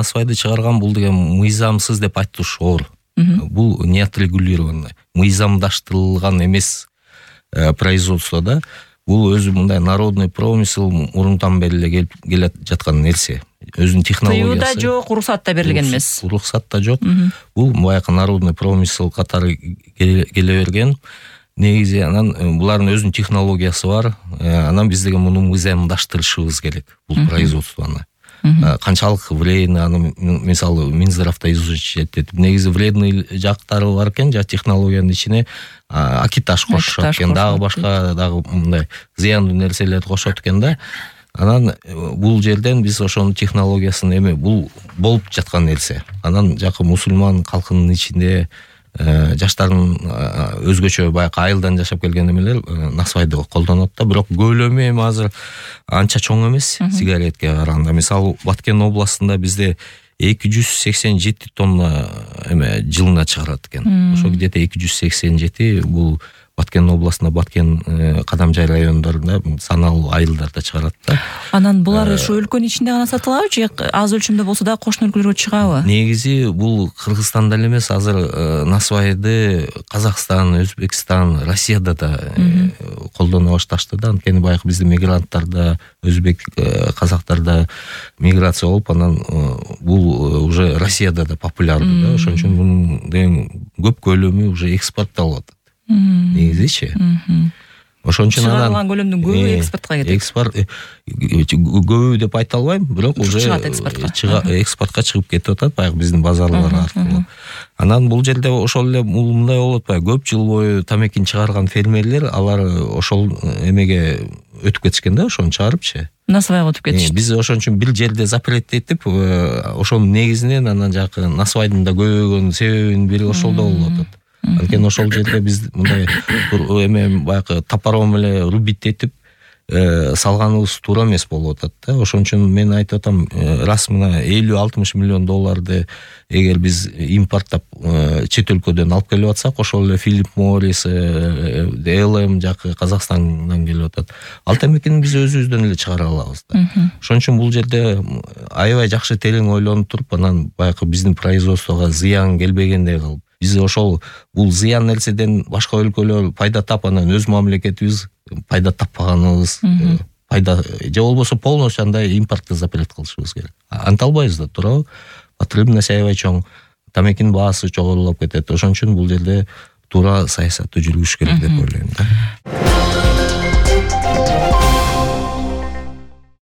насвайды чыгарган бул деген мыйзамсыз деп айтыш оор. Бул не отрегулированный, мыйзамдаштырылган эмес производствода. Бул өзү мындай народный промысел мурунтан бери эле келе жаткан нерсе. Өзүнүн технологиясы. Тыюуда жок, уруксат да берилген эмес. Уруксат да жок. Бул баягы народный промысел катары келе берген. Негизи анан булардын өзүнүн технологиясы бар. Анан биз деген муну мыйзамдаштырышыбыз керек бул производствону. Канчалык вредный, аны мисалы Минздравда изучать этип, негизи вредный жактары бар экен, жа технологиянын ичине акиташ кошушат экен, дагы башка дагы мындай зыяндуу нерселерди кошот экен да. Анан бул жерден биз ошонун технологиясын бул болуп жаткан нерсе. Анан жакы мусулман калкынын ичинде жаштардын өзгөчө баягы айылдан жашап келген эмелер насвайды колдонот да, бирок көлөмү азыр анча чоң эмес сигаретке караганда. Мисалы Баткен областында бизде 287 тонна жылына чыгарат экен. Ошо где-то 287 бул Баткен областында, Баткен Кадамжай райондорунда саналуу айылдарда чыгарат да. Анан булар ушу өлкөнүн ичинде гана сатылабы же аз өлчөмдө болсо да кошуна өлкөлөргө чыгабы? Негизи бул Кыргызстанда эле эмес, азыр насвайды Казакстан, Өзбекстан, Россияда да колдоно башташты да. Анткени баягы биздин мигранттар да, өзбек казактар да миграция болуп, анан бул уже Россияда да популярдуу да. Ошон үчүн бунун деген көп көлөмү уже экспортталып атат. Негизичи. Ошон үчүн чыгарылган көлөмдүн көбү экспортко кетет. Экспорт көбү деп айта албайм, бирок уже экспортко чыгып кетип атат баягы биздин базарлар аркылуу. Анан бул жерде ошол эле мындай болуп атпайбы, көп жыл бою тамекин чыгарган фермерлер алар ошол эмеге өтүп кетишкен да, ошону чыгарыпчы. Насвайга өтүп кетишти. Биз ошон үчүн бир жерде запреттетип, ошонун негизинен анан жакы насвайдын да көбөйгөн себебинин бири ошолдо болуп атат. Анткени ошол жерде биз мындай баягы топором эле рубить этип салганыбыз туура эмес болуп атат да. Ошон үчүн мен айтып атам, раз мына 50-60 миллион долларды эгер биз импорттап чет өлкөдөн алып келип атсак, ошол эле Philip Morris, DLM жакы Казакстандан келип атат. Ал темекини биз өзүбүздөн эле чыгара алабыз да. Ошон үчүн бул жерде аябай жакшы терең ойлонуп туруп, анан баягы биздин производствого зыян келбегендей кылып, биз ошол бул зыян нерседен башка өлкөлөр пайда тап, анан өз мамлекетибиз пайда таппаганыбыз, пайда же болбосо полностью андай импортты запрет кылышыбыз керек. Анта албайбыз да, туурабы? Потребность аябай чоң, тамекинин баасы жогорулап кетет. Ошон үчүн бул жерде туура саясатты жүргүзүш керек деп ойлойм да.